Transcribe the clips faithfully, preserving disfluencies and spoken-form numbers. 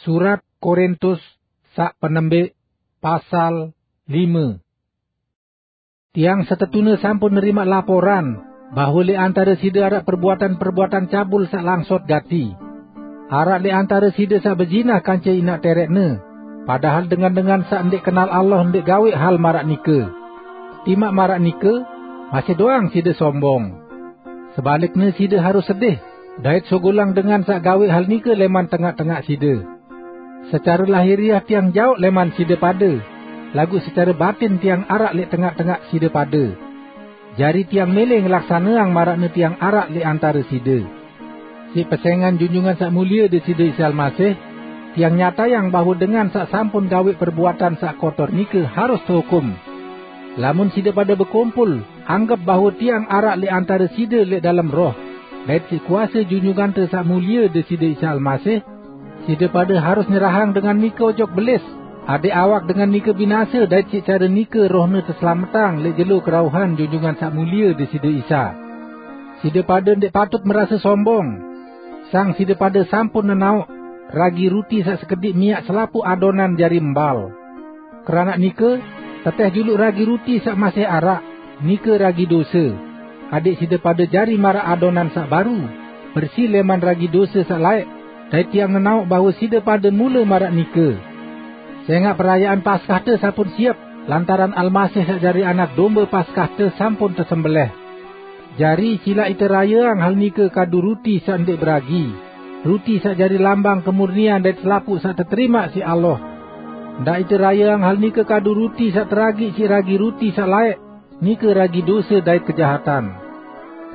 Surat Korintus saq penembik, pasal lime. Tiang setetune sampun nerimaq laporan bahwe leq antare side araq perbuatan-perbuatan cabul saq langsot gati. Araq leq antare side saq bezinah kance inaq tereqne, padahal dengan-dengan saq ndeq kenal Allah ndeq gaweq hal maraq nike. Timaq maraq nike, masih doang side sombong. Sebalikne side harus sedih, dait sogolang dengan saq gaweq hal nike leman tengaq-tengaq side. Secare lahiriah tiang jaoq leman side pade, laguq secare batin tiang araq leq tengaq-tengaq side pade. Jari tiang mele ngelaksaneang maraqne tiang araq leq antare side. Siq pesengan Junjungan Saq Mulie Deside Isa Almasih, tiang nyatayang bahwe dengan saq sampun gaweq perbuatan saq kotor nike harus tehukum. Lamun side pade bekumpul, anggep bahwe tiang araq leq antare side leq dalem roh, dait siq kuase Junjungante Saq Mulie Deside Isa Almasih, side pade harus nyerahang dengan nike ojok belis, adeq awak dengan nike binase dait siq care nike rohne teslametang leq jelo kerauhan Junjungan Saq Mulie Deside Isa. Side pade ndeq patut merase sombong. Sang side pade sampun nenaoq ragi ruti saq sekediq miaq selapuq adonan jari mbal. Keranaq nike, teteh juluq ragi ruti saq masih araq, nike ragi dose, adeq side pade jari maraq adonan saq baru, bersi leman ragi dose saq laeq, dait tiang nenaoq bahwe side pade mule maraq nike. Sengaq perayaan Paskahte sampun siep, lantaran Almasih saq jari Anak Dombe Paskahte sampun tesembeleh. Jari, silaq ite rayeang hal nike kadu ruti saq ndeq beragi, ruti saq jari lambang kemurnian dait selapuq saq teterimaq siq Allah. Ndaq ite rayeang hal nike kadu ruti saq teragiq siq ragi ruti saq laeq, nike ragi dose dait kejahatan.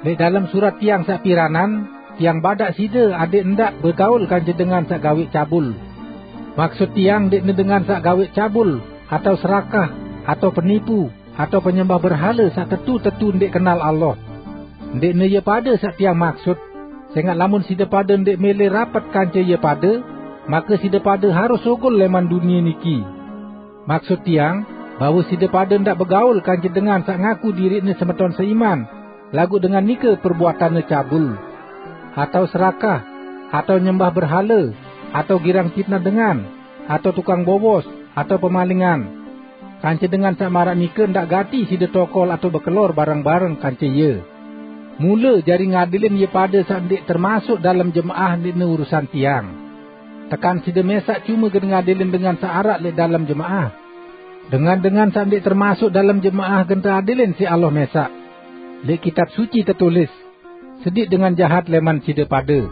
Leq dalem surat tiang saq piranan, tiang badaq side adeq ndaq begaul kance dengan saq gaweq cabul. Maksut tiang ndeqne dengan saq gaweq cabul, atao serakah, atao penipu, atao penyembah berhale saq tetu-tetu ndeq kenal Allah. Ndeqne ie pade saq tiang maksut, sengaq lamun side pade ndeq mele rapet kance ie pade, make side pade harus sugul leman dunie niki. Maksut tiang, bahwe side pade ndaq begaul kance dengan saq ngaku diriqne semeton seiman, laguq dengan nike perbuatanne cabul, atao serakah, atao nyembah berhale, atao girang pitnah dengan, atao tukang bowos, atao pemalingan. Kance dengan saq maraq nike ndaq gati side tokol atao bekelor bareng-bareng kance ie. Mule jari ngadilin ie pade saq ndeq termasuk dalem jemaah ndeqne urusan tiang. Tekan side mesaq cume gen ngadilin dengan saq araq leq dalem jemaah. Dengan-dengan saq ndeq termasuk dalem jemaah gen teadilin siq Allah mesaq. Leq Kitab Suci tetulis, "Sediq dengan jahat leman side pade."